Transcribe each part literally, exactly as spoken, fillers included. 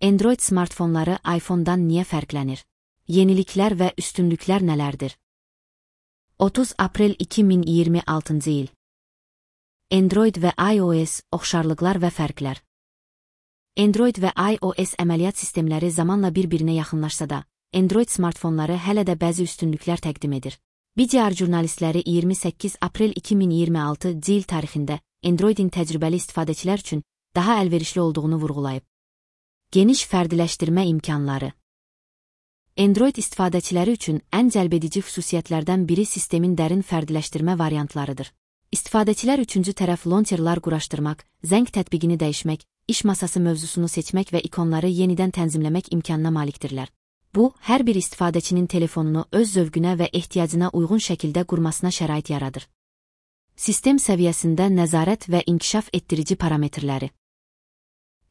Android smartfonları iPhone-dan niyə fərqlənir? Yeniliklər və üstünlüklər nələrdir? otuz aprel iki min iyirmi altıncı il. Android və iOS oxşarlıqlar və fərqlər. Android və iOS əməliyyat sistemləri zamanla bir-birinə yaxınlaşsa da, Android smartfonları hələ də bəzi üstünlüklər təqdim edir. B D R jurnalistləri iyirmi səkkiz aprel iki min iyirmi altıncı il tarixində Androidin təcrübəli istifadəçilər üçün daha əlverişli olduğunu vurğulayıb. Geniş fərdiləşdirmə imkanları. Android istifadəçiləri üçün ən cəlbedici xüsusiyyətlərdən biri sistemin dərin fərdiləşdirmə variantlarıdır. İstifadəçilər üçüncü tərəf launcherlar quraşdırmaq, zəng tətbiqini dəyişmək, iş masası mövzusunu seçmək və ikonları yenidən tənzimləmək imkanına malikdirlər. Bu, hər bir istifadəçinin telefonunu öz zövqünə və ehtiyacına uyğun şəkildə qurmasına şərait yaradır. Sistem səviyyəsində nəzarət və inkişaf etdirici parametrləri.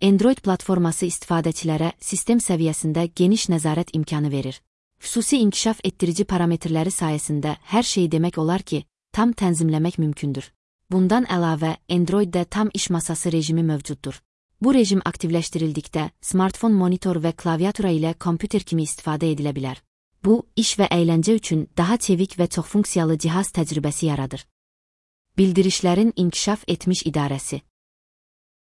Android platforması istifadəçilərə sistem səviyyəsində geniş nəzarət imkanı verir. Xüsusi inkişaf etdirici parametrləri sayəsində hər şeyi demək olar ki, tam tənzimləmək mümkündür. Bundan əlavə, Androiddə tam iş masası rejimi mövcuddur. Bu rejim aktivləşdirildikdə, smartfon monitor və klaviatura ilə kompüter kimi istifadə edilə bilər. Bu, iş və əyləncə üçün daha çevik və çoxfunksiyalı cihaz təcrübəsi yaradır. Bildirişlərin inkişaf etmiş idarəsi.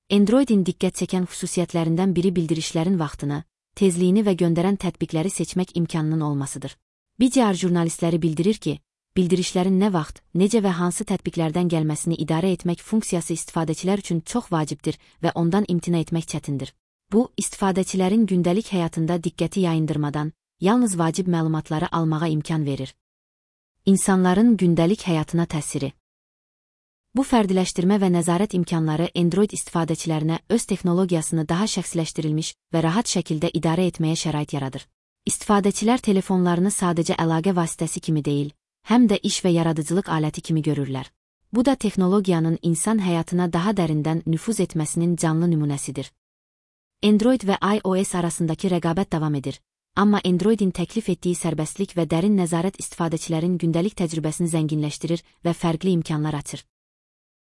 Androidin diqqət çəkən xüsusiyyətlərindən biri bildirişlərin vaxtını, tezliyini və göndərən tətbiqləri seçmək imkanının olmasıdır. B D R jurnalistləri bildirir ki, bildirişlərin nə vaxt, necə və hansı tətbiqlərdən gəlməsini idarə etmək funksiyası istifadəçilər üçün çox vacibdir və ondan imtina etmək çətindir. Bu, istifadəçilərin gündəlik həyatında diqqəti yayındırmadan, yalnız vacib məlumatları almağa imkan verir. İnsanların gündəlik həyatına təsiri. Bu fərdiləşdirmə və nəzarət imkanları Android istifadəçilərinə öz texnologiyasını daha şəxsiləşdirilmiş və rahat şəkildə idarə etməyə şərait yaradır. İstifadəçilər telefonlarını sadəcə əlaqə vasitəsi kimi deyil, həm də iş və yaradıcılıq aləti kimi görürlər. Bu da texnologiyanın insan həyatına daha dərindən nüfuz etməsinin canlı nümunəsidir. Android və iOS arasındakı rəqabət davam edir, amma Androidin təklif etdiyi sərbəstlik və dərin nəzarət istifadəçilərin gündəlik təcrübəsini zənginləşdirir və fərqli imkanlar açır.